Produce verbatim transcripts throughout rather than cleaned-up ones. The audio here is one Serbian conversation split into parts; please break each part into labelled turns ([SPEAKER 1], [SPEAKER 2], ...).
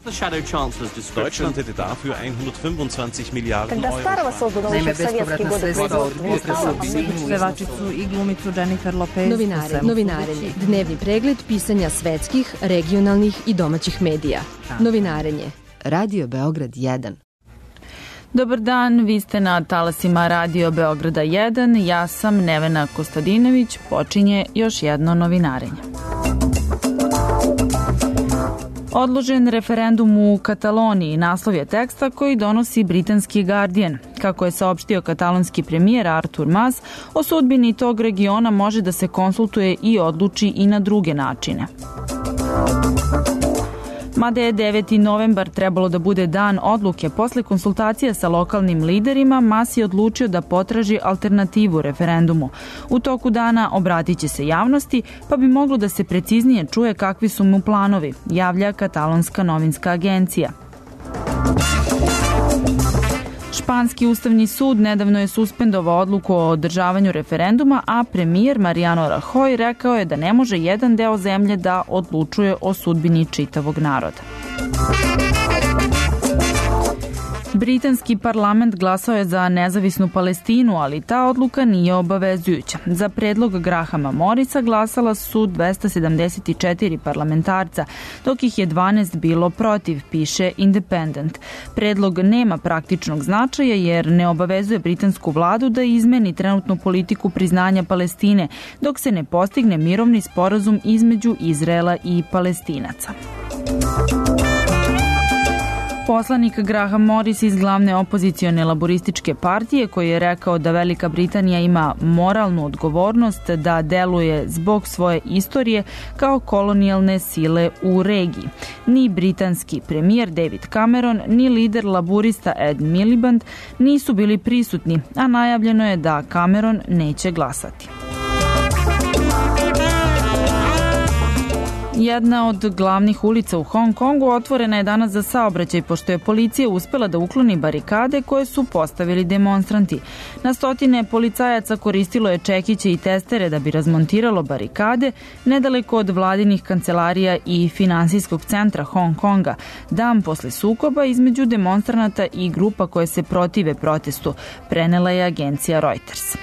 [SPEAKER 1] Deutschland hätte dafür hundertfünfundzwanzig Miliarden Euro.
[SPEAKER 2] Naime, bespovratna sredstva od pevačicu i glumicu Jennifer Lopez.
[SPEAKER 3] Novinare, novinarenje, dnevni pregled pisanja svetskih, regionalnih i domaćih medija. Novinarenje, Radio Beograd jedan.
[SPEAKER 4] Dobar dan, vi ste na talasima Radio Beograda jedan, ja sam Nevena Kostadinović, počinje još jedno novinarenje. Odložen referendum u Kataloniji, naslov je teksta koji donosi britanski Guardian. Kako je saopštio katalonski premijer Artur Mas, o sudbini tog regiona može da se konsultuje i odluči i na druge načine. Mada je deveti novembar trebalo da bude dan odluke, posle konsultacija sa lokalnim liderima, Mas je odlučio da potraži alternativu referendumu. U toku dana obratit će se javnosti, pa bi moglo da se preciznije čuje kakvi su mu planovi, javlja katalonska novinska agencija. Španski ustavni sud nedavno je suspendovao odluku o održavanju referenduma, a premijer Mariano Rajoy rekao je da ne može jedan deo zemlje da odlučuje o sudbini čitavog naroda. Britanski parlament glasao je za nezavisnu Palestinu, ali ta odluka nije obavezujuća. Za predlog Grahama Morrisa glasala su dvesta sedamdeset četiri parlamentarca, dok ih je dvanaest bilo protiv, piše Independent. Predlog nema praktičnog značaja jer ne obavezuje britansku vladu da izmeni trenutnu politiku priznanja Palestine, dok se ne postigne mirovni sporazum između Izraela i Palestinaca. Poslanik Graham Morris iz glavne opozicione laborističke partije, koji je rekao da Velika Britanija ima moralnu odgovornost da deluje zbog svoje istorije kao kolonijalne sile u regiji. Ni britanski premijer David Cameron, ni lider laborista Ed Miliband nisu bili prisutni, a najavljeno je da Cameron neće glasati. Jedna od glavnih ulica u Hong Kongu otvorena je danas za saobraćaj, pošto je policija uspela da ukloni barikade koje su postavili demonstranti. Na stotine policajaca koristilo je čekiće i testere da bi razmontiralo barikade nedaleko od vladinih kancelarija i finansijskog centra Hong Konga, dan posle sukoba između demonstranata i grupa koje se protive protestu, prenela je agencija Reuters.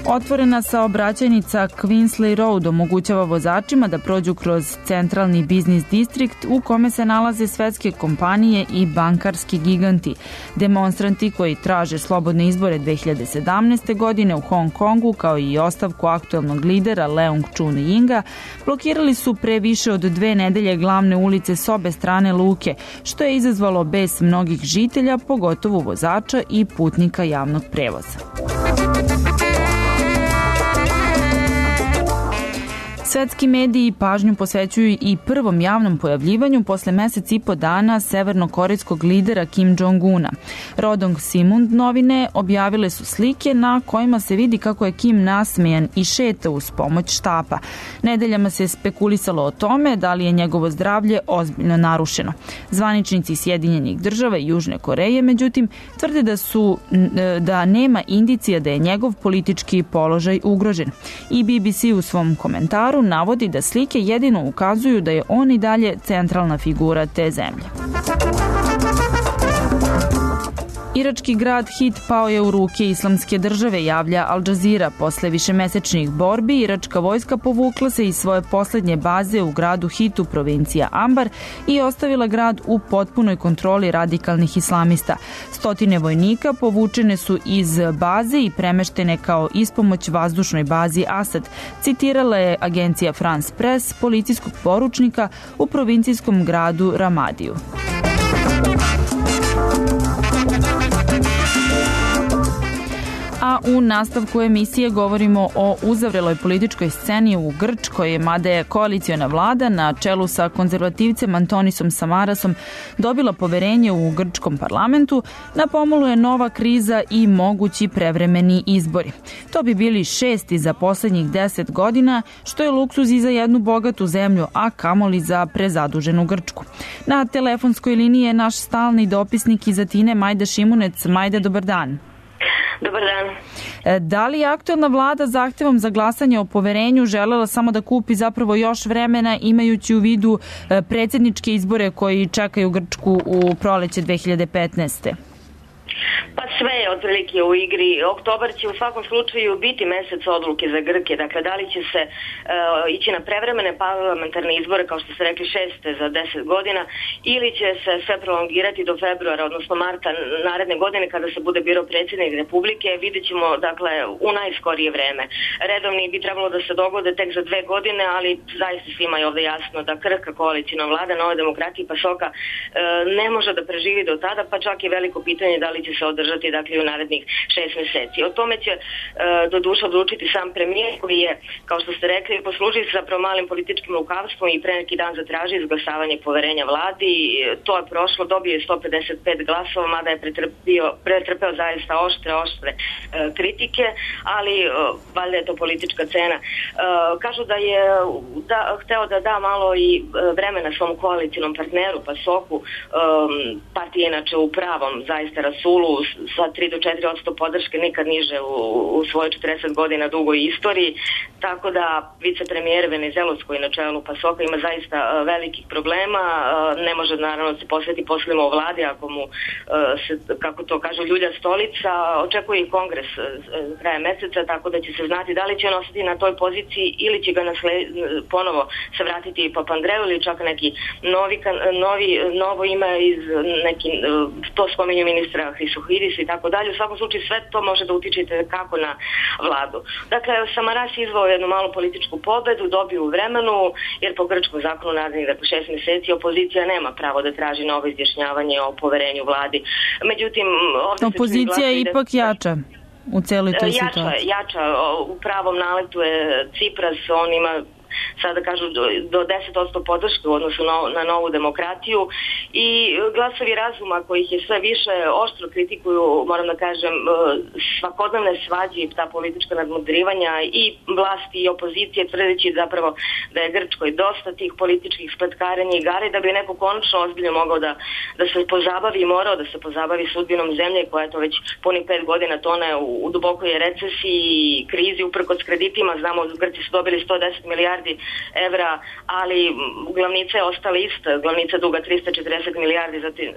[SPEAKER 4] Otvorena saobraćajnica Queensley Road omogućava vozačima da prođu kroz centralni biznis distrikt u kome se nalaze svetske kompanije i bankarski giganti. Demonstranti koji traže slobodne izbore dve hiljade sedamnaeste. godine u Hong Kongu, kao i ostavku aktuelnog lidera Leung Chun-yinga, blokirali su pre više od dve nedelje glavne ulice s obe strane luke, što je izazvalo bes mnogih žitelja, pogotovo vozača i putnika javnog prevoza. Svetski mediji pažnju posvećuju i prvom javnom pojavljivanju posle mesec i po dana severnokorejskog lidera Kim Jong-una. Rodong Sinmun novine objavile su slike na kojima se vidi kako je Kim nasmejan i šeta uz pomoć štapa. Nedeljama se spekulisalo o tome da li je njegovo zdravlje ozbiljno narušeno. Zvaničnici Sjedinjenih država i Južne Koreje, međutim, tvrde da su da nema indicija da je njegov politički položaj ugrožen. I B B C u svom komentaru navodi da slike jedino ukazuju da je on i dalje centralna figura te zemlje. Irački grad Hit pao je u ruke Islamske države, javlja Al Jazeera. Posle višemesečnih borbi, iračka vojska povukla se iz svoje poslednje baze u gradu Hitu, provincija Ambar, i ostavila grad u potpunoj kontroli radikalnih islamista. Stotine vojnika povučene su iz baze i premeštene kao ispomoć vazdušnoj bazi Asad, citirala je agencija France Press policijskog poručnika u provincijskom gradu Ramadiju. A u nastavku emisije govorimo o uzavreloj političkoj sceni u Grčkoj, mada je koaliciona vlada na čelu sa konzervativcem Antonisom Samarasom dobila poverenje u grčkom parlamentu, na pomolu je nova kriza i mogući prevremeni izbori. To bi bili šesti za poslednjih deset godina, što je luksuz i za jednu bogatu zemlju, a kamoli za prezaduženu Grčku. Na telefonskoj liniji je naš stalni dopisnik iz Atine, Majda Šimunec. Majda, dobar dan.
[SPEAKER 5] Dobar dan.
[SPEAKER 4] Da li je aktuelna vlada zahtevom za glasanje o poverenju želela samo da kupi zapravo još vremena, imajući u vidu predsjedničke izbore koji čekaju Grčku u proleće dve hiljade petnaeste.
[SPEAKER 5] Pa sve je otprilike u igri. Oktobar će u svakom slučaju biti mesec odluke za Grke. Dakle, da li će se uh, ići na prevremene parlamentarne izbore, kao što ste rekli, šeste za deset godina, ili će se sve prolongirati do februara, odnosno marta naredne godine, kada se bude birao predsjednik Republike. Vidjet ćemo, dakle, u najskorije vreme. Redovni bi trebalo da se dogode tek za dve godine, ali zaista svima je ovde jasno da krhka koalicijna vlada Nove demokratije i PASOK-a uh, ne može da preživi do tada, pa čak je veliko pitanje da li će se održati, dakle, u narednih šest meseci. O tome će e, do duša odlučiti sam premijer, koji je, kao što ste rekli, poslužio se zapravo malim političkim lukavstvom i pre neki dan zatraži izglasavanje poverenja vladi. To je prošlo, dobio je sto pedeset pet glasova, mada je pretrpio, pretrpeo zaista oštre, oštre e, kritike, ali e, valjda je to politička cena. E, kažu da je da, hteo da da malo i vremena svom koalicijnom partneru, PASOK-u, e, partija inače u pravom zaista rasulu, sa tri do četiri posto podrške, nikad niže u, u svojoj četrdeset godina dugoj istoriji, tako da vicepremijer Venizelos, koji na čelu PASOK-a ima zaista velikih problema, ne može naravno se posveti poslima u vladi ako mu se, kako to kažu, ljulja stolica. Očekuje i kongres kraja meseca, tako da će se znati da li će on ostati na toj poziciji ili će ga nasled, ponovo se vratiti Papandreou ili čak neki novi, novi, novo ime iz neki, to spominju ministra Hristohidis i tako dalje. U svakom slučaju sve to može da utiče kako na vladu. Dakle, Samaras izvao jednu malu političku pobedu, dobio u vremenu, jer po grčkom zakonu narednih dakle šest meseci opozicija nema pravo da traži novo izjašnjavanje o poverenju vladi. Međutim,
[SPEAKER 4] opozicija je ipak da, jača u celoj toj
[SPEAKER 5] jača,
[SPEAKER 4] situaciji.
[SPEAKER 5] Jača, u pravom naletu je Cipras, on ima sada kažu do, do deset posto podrške u odnosu na, na Novu demokratiju i glasovi razuma kojih je sve više oštro kritikuju, moram da kažem, svakodnevne svađe i ta politička nadmudrivanja i vlasti i opozicije, tvrdeći zapravo da je Grčkoj dosta tih političkih spletkarenja i igara i da bi neko konačno ozbiljno mogao da, da se pozabavi i morao da se pozabavi sudbinom zemlje koja je to već puni pet godina tone u, u dubokoj recesiji i krizi uprkos kreditima. Znamo, Grci su dobili sto deset milijardi evra, ali glavnica je ostala ista, glavnica duga trista četrdeset milijardi, zatim,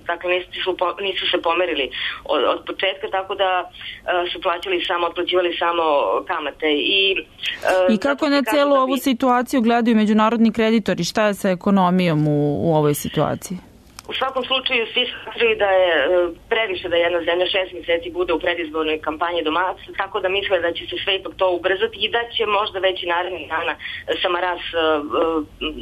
[SPEAKER 5] dakle nisu, nisu se pomerili od, od početka, tako da uh, su plaćali samo, otplaćivali samo kamate. I,
[SPEAKER 4] uh, I kako na celu ovu bi... situaciju gledaju međunarodni kreditori? Šta je sa ekonomijom u, u ovoj situaciji?
[SPEAKER 5] U svakom slučaju svi smatraju da je previše da jedna zemlja šest mjeseci bude u predizbornoj kampanji domaća, tako da misle da će se sve ipak to ubrzati i da će možda već i narednih dana Samaras,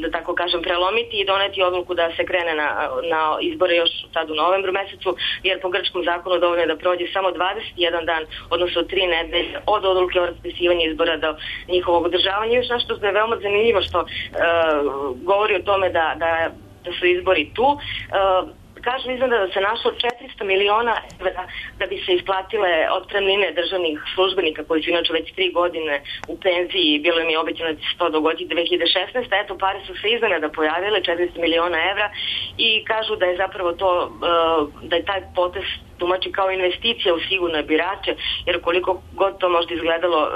[SPEAKER 5] da tako kažem, prelomiti i doneti odluku da se krene na, na izbore još sad u novembru mesecu, jer po grčkom zakonu dovoljno je da prođe samo dvadeset jedan dan, odnosno tri nedelje od odluke o raspisivanju izbora do njihovog održavanja. Još nešto što je veoma zanimljivo što uh, govori o tome da, da da su izbori tu. Uh, kažu izgleda da se našlo četiristo miliona evra da bi se isplatile otpremnine državnih službenika koji su inače već tri godine u penziji, bilo im je obećano da će se to dogoditi dve hiljade šesnaeste. Eto, pare su se iznenada pojavile, četiristo miliona evra, i kažu da je zapravo to, uh, da je taj potez tumači kao investicija u sigurne birače, jer koliko god to možda izgledalo uh,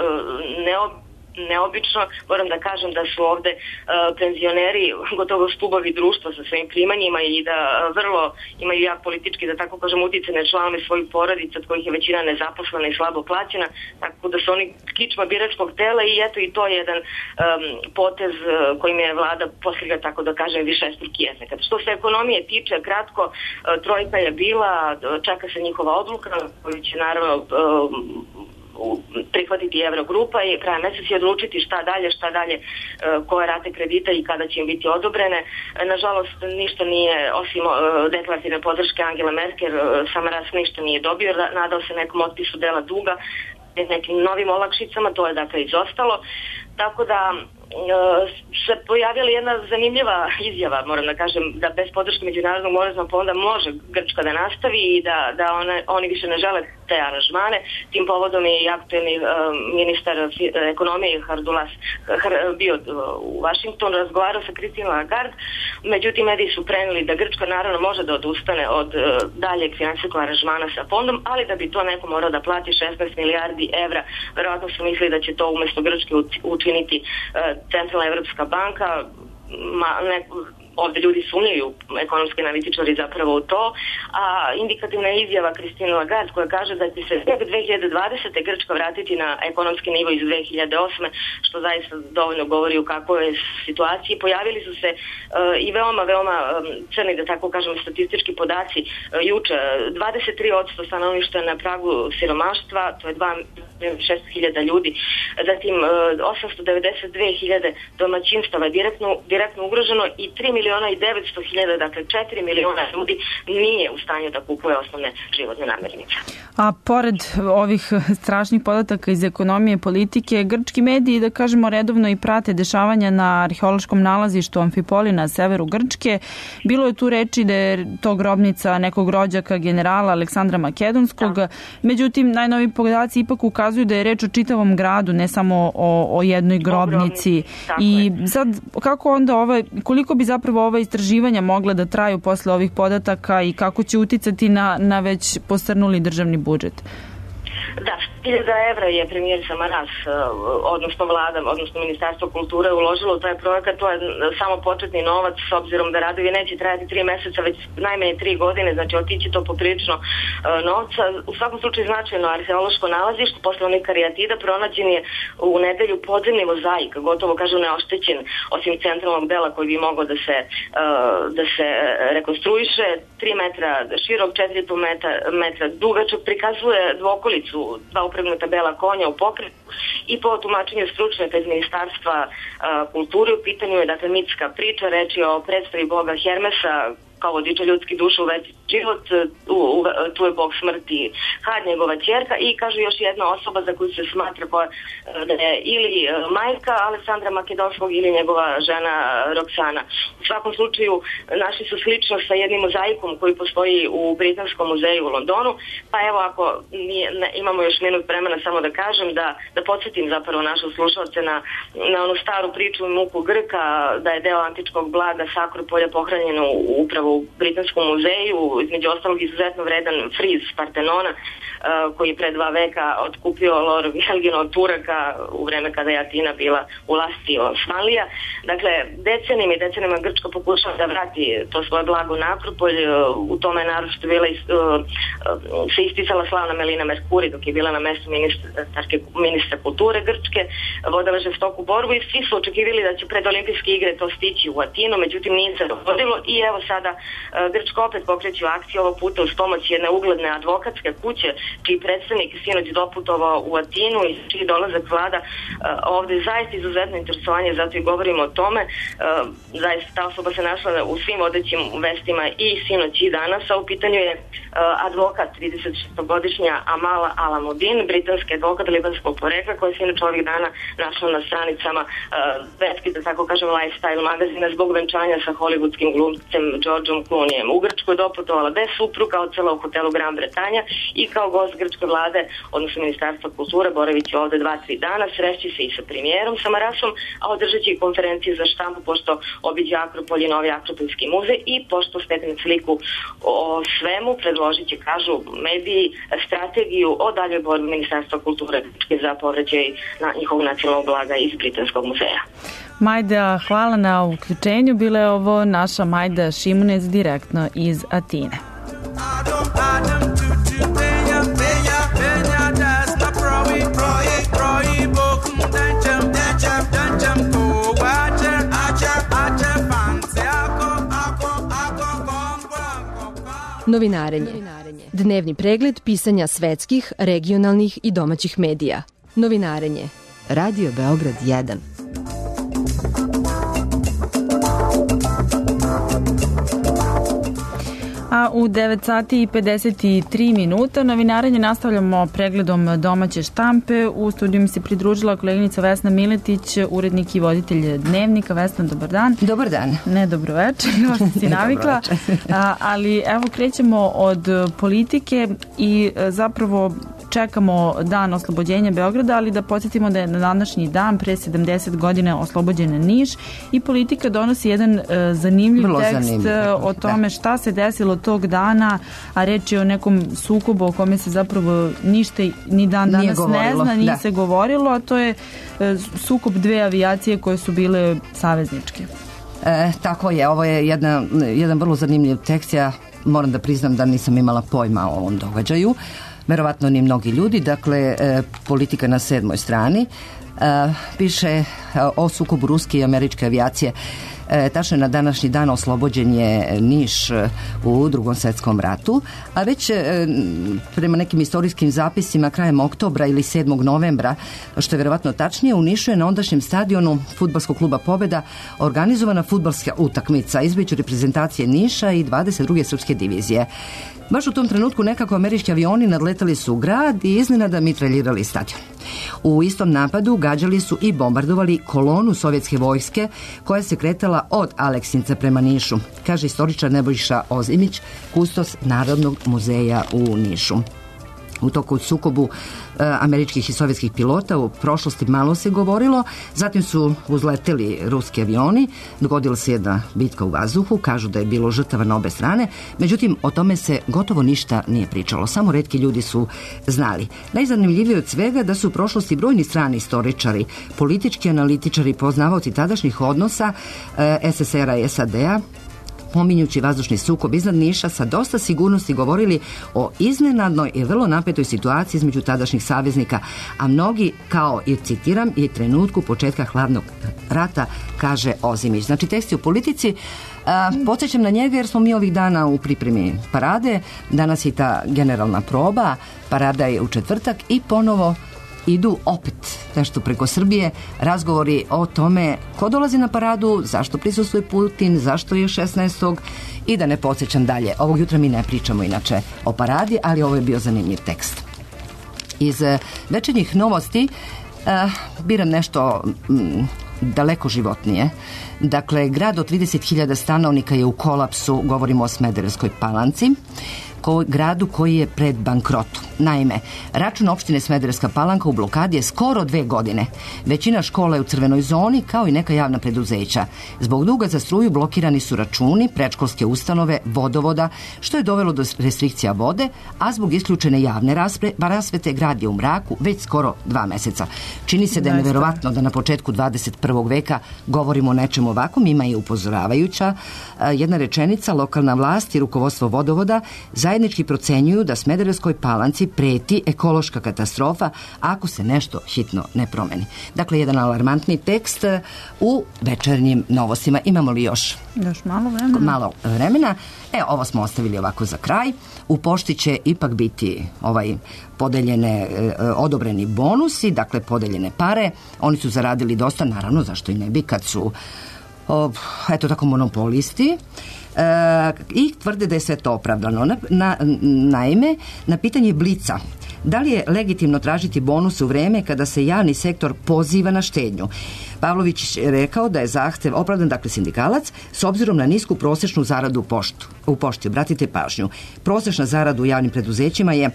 [SPEAKER 5] neobično, neobično, moram da kažem da su ovde uh, penzioneri gotovo stubovi društva sa svojim primanjima i da uh, vrlo imaju jak politički, da tako kažem, uticane članove svojih porodica, od kojih je većina nezaposlena i slabo plaćena, tako da su oni kičma biračkog tela i eto i to je jedan um, potez uh, kojim je vlada postigla, tako da kažem, višestruki efekat. Što se ekonomije tiče, kratko, uh, trojka je bila, čeka se njihova odluka koju će naravno uh, prihvatiti Eurogrupa i krajem mjeseca će odlučiti šta dalje, šta dalje, koje rate kredita i kada će im biti odobrene. Nažalost, ništa nije, osim deklarativne podrške Angela Merkel, Samaras ništa nije dobio, nadao se nekom otpisu dela duga, nekim novim olakšicama, to je dakle izostalo. Tako da se pojavila jedna zanimljiva izjava, moram da kažem, da bez podrške Međunarodnog monetnog fonda može Grčka da nastavi i da, da one, oni više ne žele te aranžmane. Tim povodom je i aktuelni uh, ministar ekonomije Hardulas Har, bio u Vašingtonu, razgovarao sa Christine Lagarde, međutim mediji su preneli da Grčka naravno može da odustane od uh, daljeg finansijskog aranžmana sa fondom, ali da bi to neko morao da plati šesnaest milijardi evra. Verovatno su mislili da će to umesto Grčke učiniti uh, Centralna evropska banka. Ma, ne, ovde ljudi sumnjaju, ekonomski analitičari zapravo u to, a indikativna izjava Christine Lagarde koja kaže da će se dve hiljade dvadesete. Grčka vratiti na ekonomski nivo iz dve hiljade osme. što zaista dovoljno govori u kakvoj je situaciji. Pojavili su se uh, i veoma, veoma um, crni, da tako kažem, statistički podaci. Uh, juče dvadeset tri posto stanovništva je na pragu siromaštva, to je dva miliona šesto hiljada ljudi. Zatim uh, osamsto devedeset dve hiljade domaćinstava je direktno, direktno ugroženo i tri miliona i devetsto hiljada, dakle četiri miliona ljudi nije u stanju da kupuje osnovne životne namirnice.
[SPEAKER 4] A pored ovih strašnih podataka iz ekonomije i politike, grčki mediji, da kažemo, redovno i prate dešavanja na arheološkom nalazištu Amfipoli na severu Grčke. Bilo je tu reči da je to grobnica nekog rođaka generala Aleksandra Makedonskog. Da. Međutim, najnoviji podaci ipak ukazuju da je reč o čitavom gradu, ne samo o, o jednoj grobnici. I sad, kako onda ovaj, koliko bi zapravo ova istraživanja mogla da traju posle ovih podataka i kako će uticati na, na već posrnuli državni budžet?
[SPEAKER 5] Da, hiljada evra je premijer Samaras, odnosno vlada, odnosno Ministarstvo kulture uložilo u taj projekat. To je samo početni novac, s obzirom da radovi neće trajati tri meseca, već najmanje tri godine, znači otići to poprilično novca. U svakom slučaju značajno arheološko nalazište, posle onih karijatida, pronađen je u nedelju podzemni mozaik, gotovo kažu neoštećen, osim centralnog dela koji bi mogao da se, da se rekonstruiše, tri metra širok, četiri i po metra dugačak, prikazuje dvokolicu, dva upregnuta bela konja u pokretu i po tumačenju stručnjaka iz Ministarstva uh, kulture u pitanju je dakle mitska priča, reč je o predstavi boga Hermesa kao vodiča ljudskih duša u večni život, u, u, tu je bog smrti Had, njegova ćerka, i kaže još jedna osoba za koju se smatra koja, da je ili majka Aleksandra Makedonskog ili njegova žena Roksana. U svakom slučaju našli su sličnost sa jednim mozaikom koji postoji u Britanskom muzeju u Londonu, pa evo ako nije, ne, imamo još minut vremena samo da kažem, da, da podsjetim zapravo naše slušalce na, na onu staru priču muku Grka, da je deo antičkog blaga s Akropolja pohranjeno upravo u Britanskom muzeju, između ostalog izuzetno vredan friz Partenona, uh, koji je pre dva veka otkupio Lord Helgin od Turaka u vreme kada je Atina bila u lasti Osmanlija. Dakle, decenijima i decenijima Grčka pokušava da vrati to svoje blago na Akropolj. U tome je naročito bila uh, se isticala slavna Melina Merkuri dok je bila na mestu ministarke, ministra kulture Grčke, vodila žestoku borbu i svi su očekivali da će pred olimpijske igre to stići u Atinu, međutim nije se dogodilo i evo sada Grčka opet pokreće akciju, ovog puta uz pomoć jedne ugledne advokatske kuće, čiji predstavnik sinoć doputovao u Atinu i čiji dolazak vlada ovde zaista izuzetno interesovanje, zato i govorimo o tome. Zaista ta osoba se našla u svim vodećim vestima i sinoć i danas, a u pitanju je advokat trideset šestogodišnja Amala Alamudin, britanski advokat libanskog porekla, koji se inače ovih dana našla na stranicama vetski, da tako kažem, lifestyle magazina zbog venčanja sa hollywoodskim glumcem Georgeom Clooneyem. U Grčku je doputovala bez supruga od cela u hotelu Gran Bretanja i kao gost grčke vlade, odnosno Ministarstva kulture, boravići ovde dva, tri dana, sreći se i sa premijerom Samarasom, a održat će i konferencije za štampu pošto obiđe Akropolj i novi Akropolski muzej i pošto stekne sliku o svemu, predložit će, kažu mediji, strategiju o daljoj borbi Ministarstva kulture Grčke za povraćaj na njihovog nacionalnog blaga iz Britanskog muzeja.
[SPEAKER 4] Majda, hvala na uključenju. Bila je ovo naša Majda Šimunec direktno iz Atine.
[SPEAKER 3] Novinarenje. Dnevni pregled pisanja svetskih, regionalnih i domaćih medija. Novinarenje. Radio Beograd jedan.
[SPEAKER 4] A u devet sati i pedeset tri minuta. Novinarenje nastavljamo pregledom domaće štampe. U studiju mi se pridružila koleginica Vesna Miletić, urednik i voditelj Dnevnika. Vesna, dobar dan.
[SPEAKER 6] Dobar dan.
[SPEAKER 4] Ne, dobro večer, kao što si navikla. A, ali evo krećemo od politike i zapravo čekamo dan oslobođenja Beograda, ali da podsjetimo da je na današnji dan pre sedamdeset godina oslobođen Niš i politika donosi jedan uh, zanimljiv Vrlo tekst zanimljiv. o tome šta se desilo tog dana, a reč je o nekom sukobu o kome se zapravo ništa ni dan danas ne zna, nije da. se govorilo, a to je uh, sukob dve avijacije koje su bile savezničke.
[SPEAKER 6] E, tako je, ovo je jedna, jedan vrlo zanimljiv tekst, ja moram da priznam da nisam imala pojma o ovom događaju. Verovatno ni mnogi ljudi, dakle e, politika na sedmoj strani e, piše e, o sukobu ruske i američke avijacije. E, tačno na današnji dan oslobođen je Niš u Drugom svetskom ratu, a već e, prema nekim istorijskim zapisima krajem oktobra ili sedmog novembra, što je verovatno tačnije, u Nišu je na ondašnjem stadionu fudbalskog kluba Pobeda organizovana fudbalska utakmica između reprezentacije Niša i dvadeset druge srpske divizije. Baš u tom trenutku nekako američki avioni nadletali su grad i iznenada mitraljirali stadion. U istom napadu gađali su i bombardovali kolonu sovjetske vojske koja se kretala od Aleksinca prema Nišu, kaže istoričar Nebojša Ozimić, kustos Narodnog muzeja u Nišu. U toku sukobu e, američkih i sovjetskih pilota u prošlosti malo se govorilo, zatim su uzleteli ruski avioni, dogodila se jedna bitka u vazduhu, kažu da je bilo žrtava na obe strane, međutim o tome se gotovo ništa nije pričalo, samo retki ljudi su znali. Najzanimljivije od svega da su u prošlosti brojni strani istoričari, politički analitičari, poznavaoci tadašnjih odnosa e, es es er a i es a de a, pominjući vazdušni sukob iznad Niša, sa dosta sigurnosti govorili o iznenadnoj i vrlo napetoj situaciji između tadašnjih saveznika, a mnogi, kao i citiram, i trenutku početka hladnog rata, kaže Ozimić. Znači, tekst je u politici. A, podsjećam na njega jer smo mi ovih dana u pripremi parade. Danas je ta generalna proba, parada je u četvrtak i ponovo idu opet nešto preko Srbije, razgovori o tome ko dolazi na paradu, zašto prisustvuje Putin, zašto je šesnaestog i da ne podsjećam dalje. Ovog jutra mi ne pričamo inače o paradi, ali ovo je bio zanimljiv tekst. Iz večernjih novosti uh, biram nešto mm, daleko životnije. Dakle, grad od trideset hiljada stanovnika je u kolapsu, govorimo o Smederevskoj Palanci, ko, gradu koji je pred bankrotom. Naime, račun opštine Smederevska Palanka u blokadi je skoro dve godine. Većina škola je u crvenoj zoni, kao i neka javna preduzeća. Zbog duga za struju blokirani su računi, predškolske ustanove, vodovoda, što je dovelo do restrikcija vode, a zbog isključene javne rasve, rasvete grad je u mraku već skoro dva meseca. Čini se da je neverovatno da na početku dvadeset prvog veka govorimo o nečemu ovakvom, ima i upozoravajuća jedna rečenica. Lokalna vlast i rukovodstvo vodovoda zajednički procenjuju da Smederevskoj Palanci preti ekološka katastrofa ako se nešto hitno ne promeni. Dakle, jedan alarmantni tekst u večernjim novostima. Imamo li još?
[SPEAKER 4] Još malo vremena.
[SPEAKER 6] Malo vremena. E, ovo smo ostavili ovako za kraj. U pošti će ipak biti ovaj podeljene, e, odobreni bonusi, dakle podeljene pare. Oni su zaradili dosta, naravno, zašto i ne bi kad su o, eto tako monopolisti. E, i tvrde da je sve to opravdano. Na, na, naime, na pitanje Blica, da li je legitimno tražiti bonus u vreme kada se javni sektor poziva na štednju, Pavlović je rekao da je zahtev opravdan, dakle sindikalac, s obzirom na nisku prosječnu zaradu u, poštu, u pošti. Obratite pažnju, prosječna zarada u javnim preduzećima je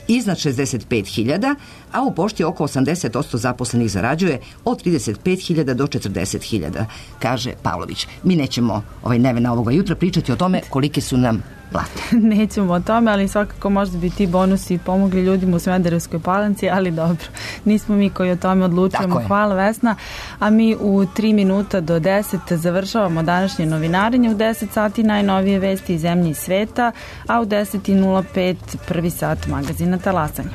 [SPEAKER 6] iznad šezdeset pet hiljada, a u pošti oko osamdeset posto zaposlenih zarađuje od trideset pet hiljada do četrdeset hiljada, kaže Pavlović. Mi nećemo ovaj nevena ovoga jutra pričati o tome kolike su nam plate.
[SPEAKER 4] Nećemo o tome, ali svakako možda bi ti bonusi pomogli ljudima u Smederevskoj Palanci, ali dobro, nismo mi koji o tome odlučujemo. Hvala, Vesna. A mi u tri minuta do deset završavamo današnje novinarenje. U deset sati najnovije vesti iz zemlje i sveta, a u deset nula pet prvi sat magazina Talasanje.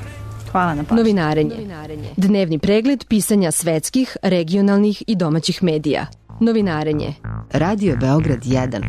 [SPEAKER 4] Hvala na pažnju.
[SPEAKER 3] Novinarenje. Dnevni pregled pisanja svetskih, regionalnih i domaćih medija. Novinarenje. Radio Beograd jedan.